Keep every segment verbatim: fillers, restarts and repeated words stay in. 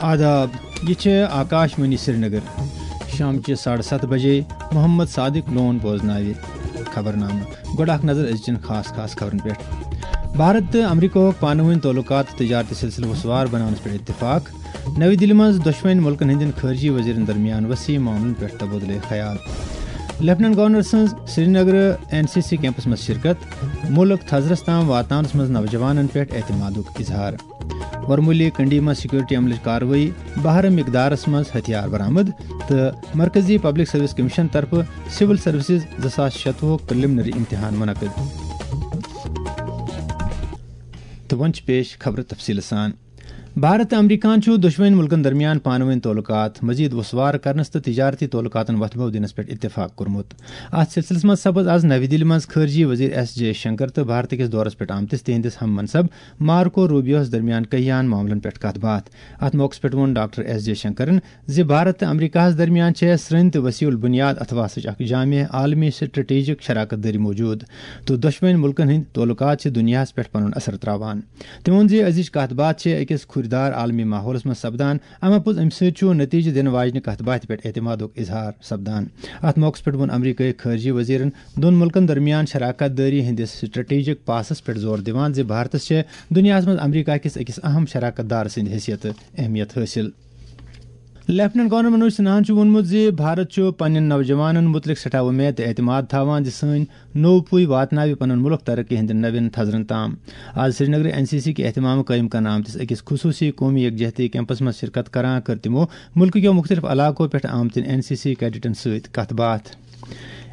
آداب، یہِ چھِ آکاش وانی سرینگر۔ شامچہِ ساڑٕ ستھ بجے محمد صادق لون بوزناوِ خبرنامہٕ۔ گۄڈٕ اکھ نظر أزچٮ۪ن خاص خاص خبرن پٮ۪ٹھ۔ بھارت تہٕ امریکہُک پانہٕ وٲنۍ تعلقات تہٕ تجارتی سلسلہٕ وسوار بناونس پٮ۪ٹھ اتفاق۔ نَوِ دِلہِ منٛز دۄشوٕنۍ مُلکن ہٕنٛدٮ۪ن خارجی وزیرن درمیان وسیع معاملن پٮ۪ٹھ تبادلہٕ خیال۔ لیفٹیننٹ گورنر سٕنٛز سرینگرٕ این سی سی کیمپس منٛز شرکت۔ مُلک تھزرس تام واتناونس منٛز نوجوانن پٮ۪ٹھ اعتمادُک اظہار۔ ورمولی کنڈی منٛز سیکورٹی عملٕچ کاروٲیی، بہرٕ مقدارس منٛز ہتھیار برآمد، تہٕ مرکزی پبلک سروس کمیشن طرفہٕ سول سروسز زٕ ساس شتوُہُک پریلمنری امتحان منعقد۔ تہٕ وۄنۍ چھِ پیش خبرٕ تفصیٖلہٕ سان۔ بھارت تہٕ امریکہن چھُ دۄشوٕنۍ مُلکن درمیان پانہٕ وٲنۍ تعلقات مزید وسوار کرنس تہٕ تجارتی تعلقاتن وۄتھٕ بو دِنس پٮ۪ٹھ اتفاق کوٚرمُت۔ اتھ سلسلس منٛز سپٕز از نَوِ دِلہِ منٛز خارجی وزیر ایس جے شنکر تہٕ بھارت کِس دورس پٮ۪ٹھ آمتِس تِہنٛدِس ہم منصب مارکو روبیوہس درمیان کیاہن معاملن پٮ۪ٹھ کتھ باتھ۔ اتھ موقعس پٮ۪ٹھ ووٚن ڈاکٹر ایس جے شنکرن زِ بھارت تہٕ امریکہس درمیان چھےٚ سرٛنۍ تہٕ وسیع البنیاد اتھواسٕچ اکھ جامع عالمی سٹریٹجک شراکت دٲری موجود، تہٕ دۄشوٕنۍ مُلکن ہٕنٛدۍ تعلقات چھِ دُنیاہس پٮ۪ٹھ پنُن اثر تراوان۔ تٔمۍ ووٚن زِ أزِچ کتھ باتھ چھےٚ أکِس کھُرۍ دار عالمی ماحولس منٛز سپدان، اما پوٚز امہِ سۭتۍ چھُ نتیجہٕ دِنہٕ واجنہِ کتھ باتھِ پٮ۪ٹھ اعتمادُک اظہار سپدان۔ اتھ موقعس پٮ۪ٹھ ووٚن امریکہٕکۍ خارجی وزیرن دۄن مُلکن درمیان شراکت دٲری ہٕنٛدِس سٹریٹجک پاسس پٮ۪ٹھ زور دِوان زِ بھارتس چھےٚ دُنیاہس منٛز امریکہ کِس أکِس اہم شراکت دار سٕنٛدِ حیثیتہٕ اہمیت حٲصِل۔ لیفٹیننٹ گورنر منوج سنہاہن چھُ ووٚنمُت زِ بھارت چھُ پننٮ۪ن نوجوانن مُتعلق سٮ۪ٹھاہ وۄمید تہٕ اعتماد تھاوان زِ سٲنۍ نوٚو پُے واتناوِ پنُن مُلک ترقی ہٕنٛدٮ۪ن نوٮ۪ن تھزرن تام۔ آز سرینگرٕ این سی سی کہِ اہتمامہٕ قٲیِم کرنہٕ آمتِس أکِس خصوٗصی قومی یکجہتی کیمپس منٛز شرکت کران کٔر تِمو مُلکہٕ کیو مُختٔلِف علاقو پٮ۪ٹھ آمتٮ۪ن این سی سی کیڈٹن سۭتۍ کتھ باتھ۔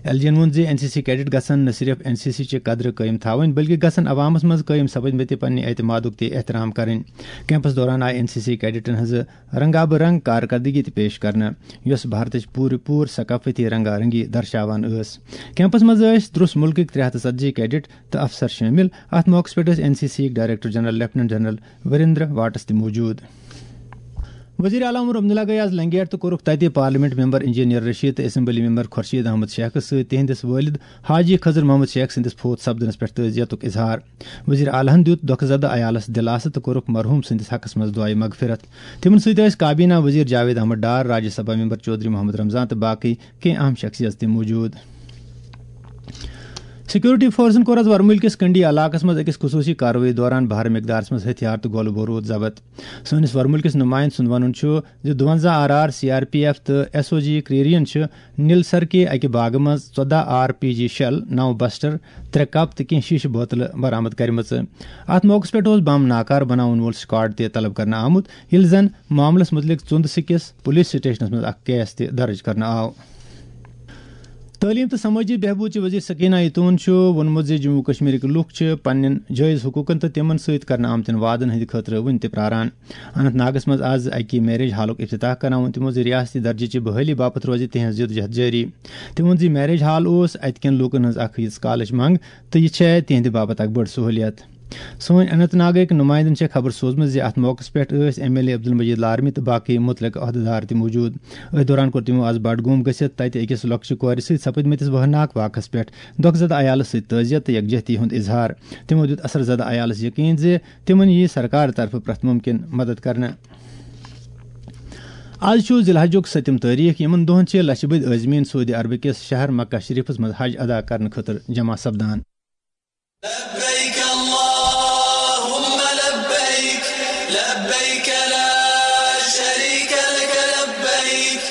ایل جی ین ووٚن زِ این سی سی کیڈٹ گژھن نہ صرف این سی سی چہِ قدرٕ قٲیِم تھاوٕنۍ، بلکہِ گژھن عوامس منٛز قٲیِم سپدمٕتہِ پننہِ اعتمادُک تہِ احترام کرٕنۍ۔ کیمپس دوران آیہِ این سی سی کیڈٹن ہٕنٛزٕ رنگا بہ رنگ کارکردگی تہِ پیش کرنہٕ، یۄس بھارتٕچ پوٗرٕ پوٗرٕ ثقافتی رنگا رنگی درشاوان ٲس۔ کیمپس منٛز ٲسۍ درُس مُلکٕکۍ ترٛےٚ ہتھ تہٕ ژتجی کیڈٹ تہٕ افسر شٲمِل۔ اتھ موقعس پٮ۪ٹھ ٲسۍ این سی سی یِکۍ director general lieutenant general Virender Vats تہِ موجود۔ وزیر اعلیٰ عمر عبداللہ گٔیہِ آز لنگیٹ تہٕ کوٚرُکھ تتہِ پارلیمنٹ ممبر انجینئر رشید تہٕ اسمبلی ممبر خورشید احمد شیخس سۭتۍ تِہنٛدِس والد حاجی خضر محمد شیخ سٕنٛدِس فوت سپدنس پٮ۪ٹھ تعزیتُک اظہار۔ وزیر اعلیٰ ہن دیُت دۄکھٕ زدٕ عیالس دِلاسہٕ تہٕ کوٚرُکھ مرحوم سٕنٛدِس حقس منٛز دعایہِ مغفرت۔ تِمن سۭتۍ ٲسۍ کابینہ وزیر جاوید احمد ڈار، راجیہ سبھا ممبر چودھری محمد رمضان تہٕ باقٕے کینٛہہ اہم شخصیژ تہِ موجود۔ سیکورٹی فورسن کوٚر آز ورمُلۍ کِس کنڈی علاقس منٛز أکِس خصوٗصی کاروٲیی دوران بھارٕ مقدارس منٛز ہتھیار تہٕ گولہٕ بارود ضبط۔ سٲنِس ورمُلۍ کِس نُمایندٕ سُنٛد وَنُن چھُ زِ دُوَنزاہ R R, C R P F تہٕ ایس او جی کرٛیریَن چھِ نِلسر کہِ اَکہِ باغہٕ منٛز ژۄداہ آر پی جی شیل، نَو بسٹر، ترٛےٚ کپ تہٕ کینٛہہ شیشہٕ بوتلہٕ برآمد کٔرمٕژ۔ اَتھ موقعَس پٮ۪ٹھ اوس بم ناکارٕ بناوَن وول سکواڈ تہِ طلب کرنہٕ آمُت، ییٚلہِ زن معاملَس مُتعلِق ژُنٛد سِکِس پُلیٖس سٹیشنَس منٛز اکھ کیس تہِ درٕج کرنہٕ آو۔ تعلیٖم تہٕ سمٲجی بہبوٗد چہِ وزیر سکینہ ایتون چھُ ووٚنمُت زِ جموں کشمیرٕکۍ لُکھ چھِ پننٮ۪ن جٲیز حقوٗقن تہٕ تِمن سۭتۍ کرنہٕ آمتٮ۪ن وعدن ہٕنٛدِ خٲطرٕ وُنہِ تہِ پراران۔ اننت ناگس منٛز از اکہِ میریج ہالُک افتتاح کران ووٚن تِمو زِ ریاستی درجہٕ چہِ بحٲلی باپتھ روزِ تِہنٛز جدوجہد جٲری۔ تِمو ووٚن زِ میریج ہال اوس اتہِ کٮ۪ن لوٗکن ہٕنٛز اکھ یِژھ کالٕچ منٛگ تہٕ یہِ چھےٚ تِہنٛدِ باپتھ اکھ بٔڑ سہوٗلیت۔ سٲنۍ اننت ناگٕکۍ نُمایندن چھےٚ خبر سوزمٕژ زِ اتھ موقعس پٮ۪ٹھ ٲسۍ ایم ایل اے عبدالمجید لارمی تہٕ باقٕے مُتعلقہٕ عہدٕدار تہِ موجود۔ أتھۍ دوران کوٚر تِمو از بڈگوم گٔژھِتھ تتہِ أکِس لۄکچہِ کورِ سۭتۍ سپٕدمٕتِس وہناک واقعس پٮ۪ٹھ دۄکھ زدٕ عیالس سۭتۍ تعزیت تہٕ یکجہتی ہُنٛد اظہار۔ تِمو دیُت اثر زدٕ عیالس یقین زِ تِمن یِیہِ سرکار طرفہٕ پرٛٮ۪تھ مُمکِن مدد کرنہٕ۔ آز چھُ ذی الحجُک سٔتِم تٲریخ۔ یِمن دۄہن چھِ لچھِ بٔدۍ عٲزمیٖن سعودی عربہٕ کِس شہر مکہ شریفس منٛز حج ادا کرنہٕ خٲطرٕ جمع سپدان۔ لبيك اللهم لبيك، لبيك لا شريك لك لبيك۔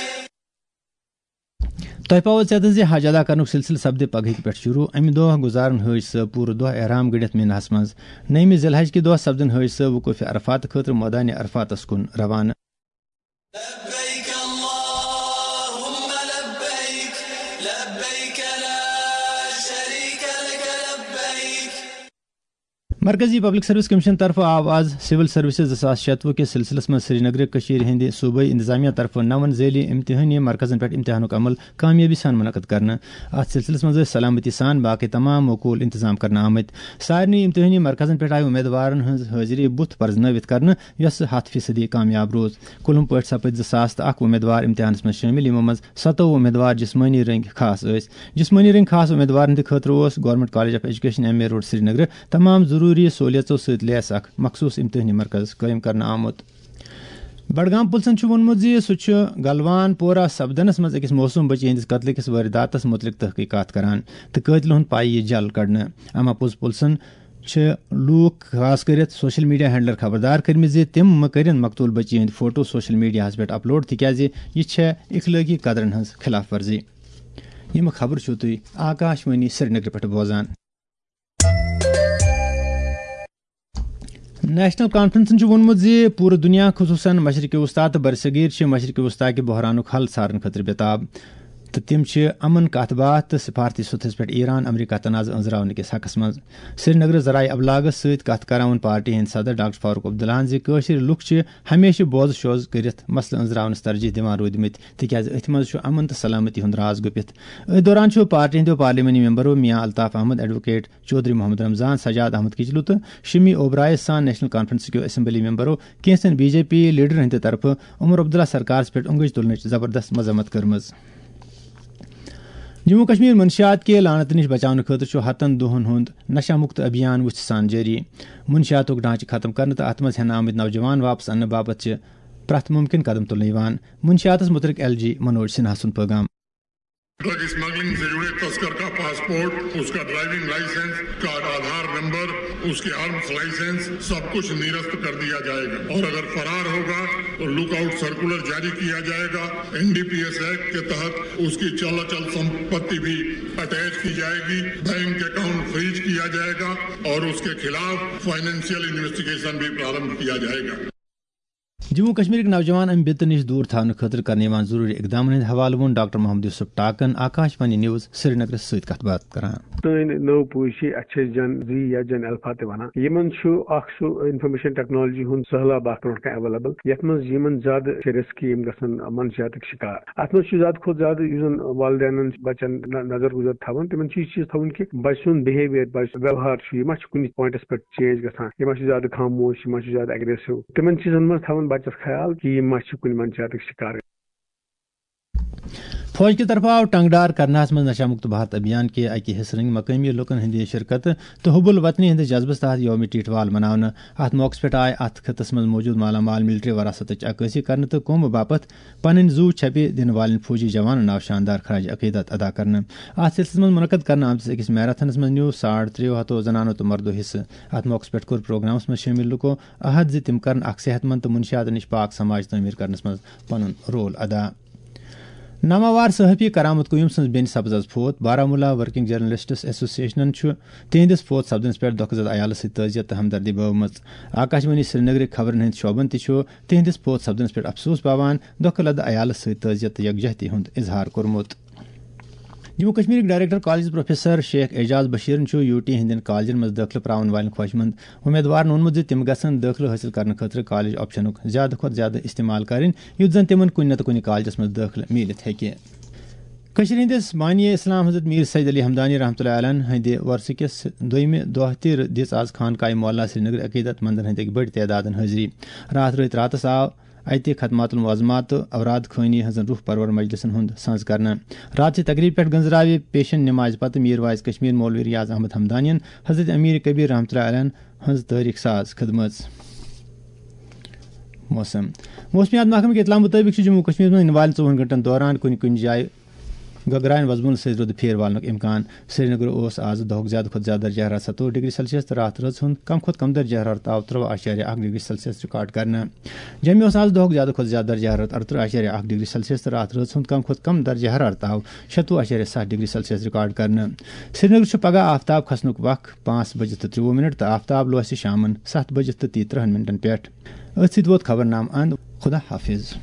تۄہہِ پاوو ژےٚ تہٕ زِ حج ادا کرنُک سلسلہٕ سپدِ پگہٕکۍ پٮ۪ٹھ شروع۔ امہِ دۄہ گُزارن حٲج صٲب پوٗرٕ دۄہ احرام گٔنڈِتھ مِناہس منٛز۔ نٔیمہِ ذی الحج کہِ دۄہ سپدن حٲج صٲب وقوفِ عرفات خٲطرٕ مٲدانِ عرفاتس کُن روانہٕ۔ لبيك اللهم لبيك، لبيك لا شريك لك لبيك۔ مرکزی پبلک سروس کمیشن طرفہٕ آو آز سول سروسز زٕ ساس شتوُہ کِس سلسلس منٛز سرینگرٕ کٔشیٖرِ ہٕنٛدِ صوبٲئی انتظامیہ طرفہٕ نَوَن ذیلی امتحٲنی مرکزن پٮ۪ٹھ امتحانُک عمل کامیٲبی سان منعقد کرنہٕ۔ اتھ سلسلس منٛز ٲسۍ سلامتی سان باقٕے تمام معقول انتظام کرنہٕ آمٕتۍ۔ سارنٕے امتحٲنی مرکزن پٮ۪ٹھ آیہِ امیدوارن ہٕنٛز حٲضری بُتھ پرزنٲوِتھ کرنہٕ، یۄسہٕ ہَتھ فیصدی کامیاب روٗز۔ کُلہُم پٲٹھۍ سپٕدۍ زٕ ساس تہٕ اکھ امیدوار امتحانس منٛز شٲمِل، یِمو منٛز ستووُہ امیدوار جسمٲنی رٔنگۍ خاص ٲسۍ۔ جسمٲنی رٔنگۍ خاص امیدوارن ہٕنٛدِ خٲطرٕ اوس government college of education, M A road, سرینگرٕ تمام ضروٗری سہولیژو سۭتۍ لیس اکھ مخصوٗص امتحٲنی مرکز قٲیِم کرنہٕ آمُت۔ بڈگام پُلسن چھُ ووٚنمُت زِ سُہ چھُ گلوان پورہ سپدنس منٛز أکِس معصوم بچی ہٕنٛدِس قتلہٕ کِس وٲرِداتس مُتعلق تحقیقات کران تہٕ قٲتلہِ ہُنٛد پَے یِیہِ جل کڑنہٕ۔ اما پوٚز پُلسن چھِ لوٗکھ، خاص کٔرِتھ سوشل میڈیا ہینڈلر، خبردار کٔرمٕتۍ زِ تِم مہٕ کٔرِن مقتول بچی ہٕنٛدۍ فوٹو سوشل میڈیاہَس پٮ۪ٹھ اپلوڈ، تِکیازِ یہِ چھےٚ اخلٲقی قدرن ہٕنٛز خلاف ورزی۔ یِم خبرٕ چھِو تُہۍ آکاش وانی سرینگرٕ پٮ۪ٹھ بوزان۔ نیشنل کانفرنسن چھُ ووٚنمُت زِ پوٗرٕ دُنیا، خصوٗصن مشرق وسطی تہٕ برصغیر، چھِ مشرق وسطی کہِ بحرانُک حل ژھارنہٕ خٲطرٕ بے تاب، تہٕ تِم چھِ امن کتھ باتھ تہٕ سفارتی سطحس پٮ۪ٹھ ایران امریکہ تنازٕ أنٛزراونہٕ کِس حقس منٛز۔ سرینگرٕ ذرائع ابلاغس سۭتۍ کتھ کران ووٚن پارٹی ہٕنٛدۍ صدر ڈاکٹر فاروق عبداللہن زِ کٲشِر لُکھ چھِ ہمیشہِ بوزٕ شوز کٔرِتھ مسلہٕ أنٛزراونس ترجیح دِوان روٗدمٕتۍ، تِکیازِ أتھۍ منٛز چھُ امن تہٕ سلامتی ہُنٛد راز گُپِتھ۔ أتھۍ دوران چھُ پارٹی ہٕنٛدیو پارلیمانی ممبرو میاں الطاف احمد، ایڈووکیٹ چودھری محمد رمضان، سجاد احمد کچلو تہٕ شمی اوبرائے سان نیشنل کانفرنس کیو اسمبلی ممبرو کینٛژن بی جے پی لیڈرن ہٕنٛدِ طرفہٕ عمر عبداللہ سرکارس پٮ۪ٹھ اونگج تُلنٕچ زبردست مذمت کٔرمٕژ۔ جموں کشمیر منشیات کہِ لعنتہٕ نِش بچاونہٕ خٲطرٕ چھُ ہتن دۄہن ہُنٛد نشہ مکت ابھیان وُژھِ سان جٲری۔ منشیاتُک ڈھانچہٕ ختم کرنہٕ تہٕ اتھ منٛز ہٮ۪نہٕ آمٕتۍ نوجوان واپس اننہٕ باپتھ چھِ پرٛٮ۪تھ مُمکِن قدم تُلنہٕ یِوان۔ منشیاتس مُتعلق ایل جی منوج سنہا سُنٛد پیغام۔ ڈرگ اسمگلنگ سے جڑے تسکر کا پاسپورٹ، اس کا ڈرائیونگ لائسنس، اس کا آدھار نمبر، اس کے آرمز لائسنس، سب کچھ نرست کر دیا جائے گا اور اگر فرار ہوگا تو لک آؤٹ سرکولر جاری کیا جائے گا۔ N D P S act کے تحت اس کی چل اچل سمپتی بھی اٹیچ کی جائے گی، بینک اکاؤنٹ فریز کیا جائے گا اور اس کے خلاف فائنینشیل انویسٹیگیشن بھی پرارمبھ کیا جائے گا۔ جموں کشمیرٕکۍ نوجوان امہِ بِتہٕ نِش دوٗر تھاونہٕ خٲطرٕ کرنہٕ یِوان ضروٗری اقدامن ہٕنٛدِ حوالہٕ ووٚن ڈاکٹر محمد یوسف ٹاکن آکاش وانی نیوز سرینگرس سۭتۍ کتھ باتھ کران۔ سٲنۍ نٔو پُے چھِ، اَتھ چھِ أسۍ جن زی یا جن الفا تہِ وَنان۔ یِمن چھُ اکھ سُہ انفارمیشن ٹیکنالوجی ہُنٛد سہلاب اکھ برونٛٹھ کَنہِ ایویلیبل، یَتھ منٛز یِمن زیادٕ چھِ رِسکی، یِم گژھن منشیاتٕکۍ شِکار۔ اَتھ منٛز چھُ زیادٕ کھۄتہٕ زیادٕ، یُس زن والدینن چھِ بچن ن-، نظر گُزر تھاوان، تِمن چھُ یہِ چیٖز تھاوُن کہِ بچہٕ سُنٛد بِہیویئر، بچہٕ سُنٛد ویوہار چھُ، یہِ ما چھُ کُنہِ پوینٹس پٮ۪ٹھ چینج گژھان، یہِ ما چھُ زیادٕ خاموش، یہِ ما چھُ زیادٕ اگریسو۔ تِمن چیٖزن منٛز تھاوُن بچس خیال کہِ یہِ ما چھُ کُنہِ منشیاتٕکۍ شِکار۔ فوج کہِ طرفہٕ آو ٹنگڈار کرناہس منٛز نشہ مکت بھارت ابھیان کہِ اکہِ حصہٕ رنگۍ مقٲمی لوٗکن ہٕنٛدِ شرکتہٕ تہٕ حب الوطنی ہٕنٛدِس جذبس تحت یوم ٹیٹھ وال مناونہٕ۔ اتھ موقعس پٮ۪ٹھ آیہِ اتھ خطس منٛز موجود مالا مال ملٹری وراثتٕچ عکٲسی کرنہٕ تہٕ قومہٕ باپتھ پنٕنۍ زُو چھپہِ دِنہٕ والٮ۪ن فوجی جوانن آو شاندار خراج عقیدت ادا کرنہٕ۔ اتھ سلسلس منٛز منعقد کرنہٕ آمتِس أکِس میراتھنس منٛز نیوٗ ساڑ ترٛےٚ ہتو زنانو تہٕ مردو حصہٕ۔ اتھ موقعس پٮ۪ٹھ کوٚر پروگرامس منٛز شٲمِل لُکو عہد زِ تِم کرن اکھ صحت مند تہٕ منشیات نِش پاک سماج تعمیٖر کرنس منٛز پنُن رول ادا۔ ناماوار صحافی کرامت قیوم سٕنٛز بیٚنہِ سپٕز از فوت۔ بارہمولہ ورکنگ جرنلسٹس ایسوسیشنن چھُ تِہنٛدِس فوت سپدنس پٮ۪ٹھ دۄکھٕ زد عیالس سۭتۍ تعزیت تہٕ ہمدردی بٲومٕژ۔ آکاش وانی سرینگرٕکۍ خبرن ہٕنٛدۍ شعبن تہِ چھُ تِہنٛدِس فوت سپدنس پٮ۪ٹھ افسوس باوان دۄکھٕ لد عیالس سۭتۍ تعزیت تہٕ یکجہتی ہُنٛد اظہار کوٚرمُت۔ جموں کشمیرٕکۍ director colleges professor Sheikh Ejaz بشیرن چھُ یو ٹی ہٕنٛدٮ۪ن کالجن منٛز دٲخلہٕ پراون والٮ۪ن خواہشمند امیدوارن ووٚنمُت زِ تِم گژھن دٲخلہٕ حٲصِل کرنہٕ خٲطرٕ کالج آپشنُک زیادٕ کھۄتہٕ زیادٕ استعمال کرٕنۍ، یُتھ زن تِمن کُنہِ نتہٕ کُنہِ کالجس منٛز دٲخلہٕ میٖلِتھ ہیٚکہِ۔ کٔشیٖرِ ہٕنٛدِس بانی اسلام حضرت میر سید علی ہمدانی رحمتہ اللہ علیہ ہٕنٛدِ وۄرثہٕ کِس دوٚیمہِ دۄہ تہِ دِژ آز خانقاہ مولا سرینگر عقیدت مندن ہٕنٛدۍ أکۍ بٔڑۍ تعدادن حٲضری۔ راتھ رٲتۍ راتس آو اتہِ ختمات المعظمات تہٕ اوراد خٲنی ہٕنٛزن روح پرور مجلسن ہُنٛد سنز کرنہٕ۔ راتچہِ تقریبہِ پٮ۪ٹھ گنزراوِ پیشن نمازِ پتہٕ میر واعظ کشمیر مولوی ریاض احمد ہمدانین حضرت امیر کبیر رحمتہ اللہ علیہ ہٕنٛز تٲریخ ساز خدمژ۔ موسم۔ موسمیات محکمہٕ کہِ اطلاع مُطٲبِق چھُ جموں کشمیرس منٛز یِنہٕ والٮ۪ن ژوٚوُہن گھنٹن دوران کُنہِ کُنہِ جایہِ گگراین وزبُل سۭتۍ رُدٕ پھیرٕ والنُک امکان۔ سرینگر اوس آز دۄہُک زیادٕ کھۄتہٕ زیادٕ درجہ حرارت ستووُہ ڈگری سیلسیس تہٕ راتھ رٲژ ہُنٛد کم کھۄتہٕ کم درجہ حرارت آو ترٛواہ اعشاریہ اکھ ڈگری سیلسیس ریکارڈ کرنہٕ۔ جوٚمہِ اوس آز دۄہُک زیادٕ کھۄتہٕ زیادٕ درجہ حرارت ارترٕہ اعشاریہ اکھ ڈگری سیلسیس تہٕ راتھ رٲژ ہُنٛد کم کھۄتہٕ کم درجہ حرارت آو شتوُہ اعشاریہ ستھ ڈگری سیلسیس ریکارڈ کرنہٕ۔ سرینگر چھُ پگہہ آفتاب کھسنُک وق پانٛژھ بجہِ تہٕ ترٛوٚوُہ منٹ تہٕ آفتاب لوسہِ شامن ستھ بجہِ تہٕ تیٚیہِ ترٕٛہن منٹن پٮ۪ٹھ۔ أتھۍ سۭتۍ ووت خبرنامہٕ اند۔ خدا حافظ۔